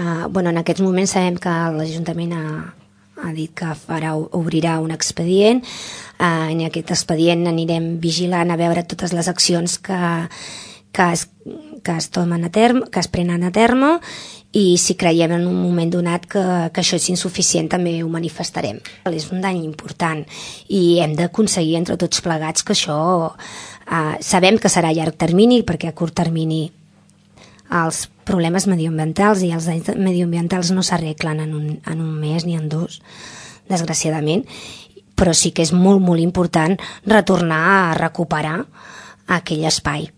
En aquests moments sabem que l'Ajuntament ha dit que obrirà un expedient. En aquest expedient anirem vigilant a veure totes les accions que es prenen a terme, i si creiem en un moment donat que això és insuficient també ho manifestarem. És un dany important i hem d'aconseguir entre tots plegats que això sabem que serà a llarg termini, perquè a curt termini els problemes mediambientals i els danys mediambientals no s'arreglen en un mes ni en dos, desgraciadament, però sí que és molt, molt important retornar a recuperar aquell espai.